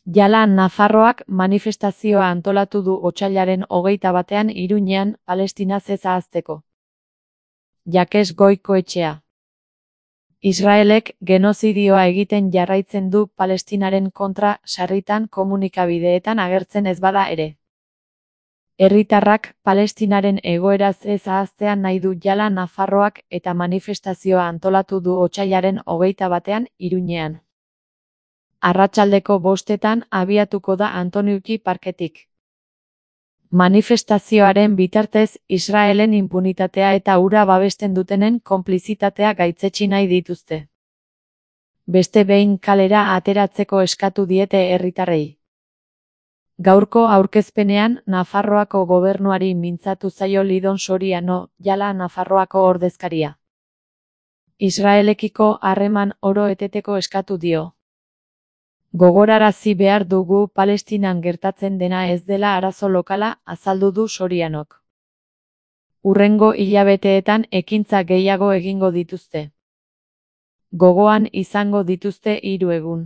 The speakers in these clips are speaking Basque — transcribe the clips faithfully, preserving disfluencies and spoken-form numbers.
Jala Nafarroak manifestazioa antolatu du otsailaren hogeita batean Iruñean Palestinaz ez ahazteko. Jakes Goikoetxea. Israelek genozidioa egiten jarraitzen du Palestinaren kontra sarritan komunikabideetan agertzen ez bada ere. Herritarrak Palestinaren egoeraz ez ahaztea nahi du Jala Nafarroak eta manifestazioa antolatu du otsailaren hogeita batean Iruñean. Arratsaldeko bostetan abiatuko da Antoniuki parketik. Manifestazioaren bitartez Israelen inpunitatea eta hura babesten dutenen konplizitatea gaitzetsi nahi dituzte. Beste behin kalera ateratzeko eskatu diete herritarrei. Gaurko aurkezpenean Nafarroako gobernuari mintzatu zaio Lidon Soriano, Jala Nafarroako ordezkaria. Israelekiko harreman oro eteteko eskatu dio. Gogorarazi behar dugu Palestinan gertatzen dena ez dela arazo lokala, azaldu du Sorianok. Hurrengo hilabeteetan ekintza gehiago egingo dituzte. Gogoan izango dituzte hiru egun.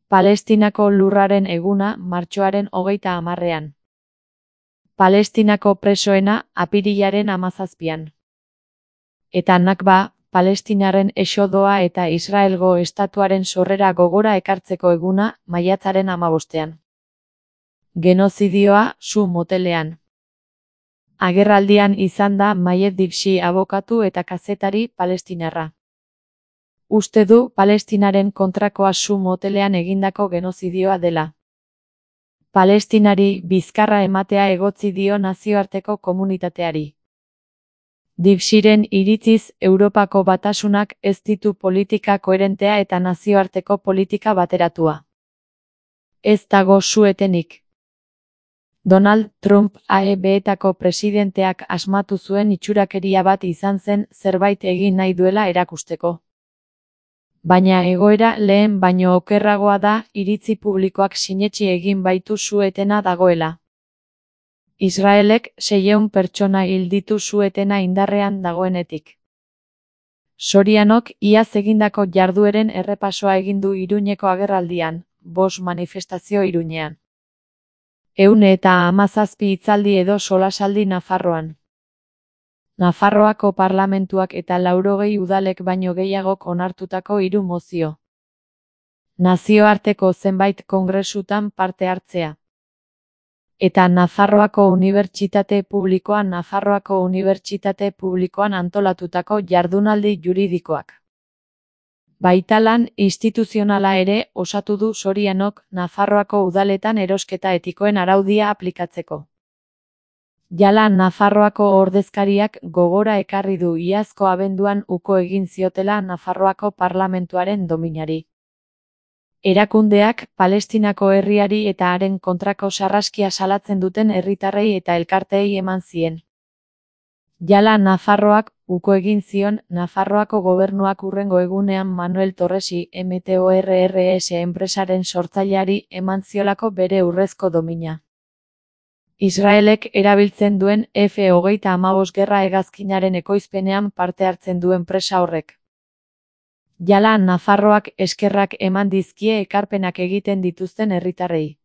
Palestinako lurraren eguna martxoaren hogeita hamarrean. Palestinako presoena apirilaren hamazazpian. Eta Nakba, Palestinaren exodoa eta Israelgo estatuaren sorrera gogora ekartzeko eguna maiatzaren hamabostean. Genozidioa su motelean. Agerraldian izan da Mayed Dibsi abokatu eta kazetari palestinarra. Uste du Palestinaren kontrakoa su motelean egindako genozidioa dela. Palestinari bizkarra ematea egotzi dio nazioarteko komunitateari. Dibsiren iritziz Europako Batasunak ez ditu politika koherentea eta nazioarteko politika bateratua. Ez dago su-etenik. Donald Trump A E B-etako presidenteak asmatu zuen itxurakeria bat izan zen zerbait egin nahi duela erakusteko. Baina egoera lehen baino okerragoa da iritzi publikoak sinetsi egin baitu su-etena dagoela. Israelek seiehun pertsona hil ditu su-etena indarrean dagoenetik. Sorianok iaz egindako jardueren errepasoa egin du Iruñeko agerraldian, bost manifestazio Iruñean. Ehun eta hamazazpi hitzaldi edo solasaldi Nafarroan. Nafarroako parlamentuak eta laurogei udalek baino gehiagok onartutako hiru mozio. Nazioarteko zenbait kongresutan parte hartzea. Eta Nafarroako Unibertsitate Publikoan Nafarroako Unibertsitate Publikoan antolatutako jardunaldi juridikoak. Baita lan instituzionala ere osatu du Sorianok Nafarroako udaletan erosketa etikoen araudia aplikatzeko. Jala Nafarroako ordezkariak gogora ekarri du iazko abenduan uko egin ziotela Nafarroako parlamentuaren dominari. Erakundeak Palestinako herriari eta haren kontrako sarraskia salatzen duten herritarrei eta elkarteei eman zien. Jala Nafarroak uko egin zion Nafarroako gobernuak hurrengo egunean Manuel Torresi M T O R R S enpresaren sortzaileari eman ziolako bere urrezko domina. Israelek erabiltzen duen F hogeita hamabost gerra hegazkinaren ekoizpenean parte hartzen du enpresa horrek. Jala Nafarroak eskerrak eman dizkie ekarpenak egiten dituzten herritarrei.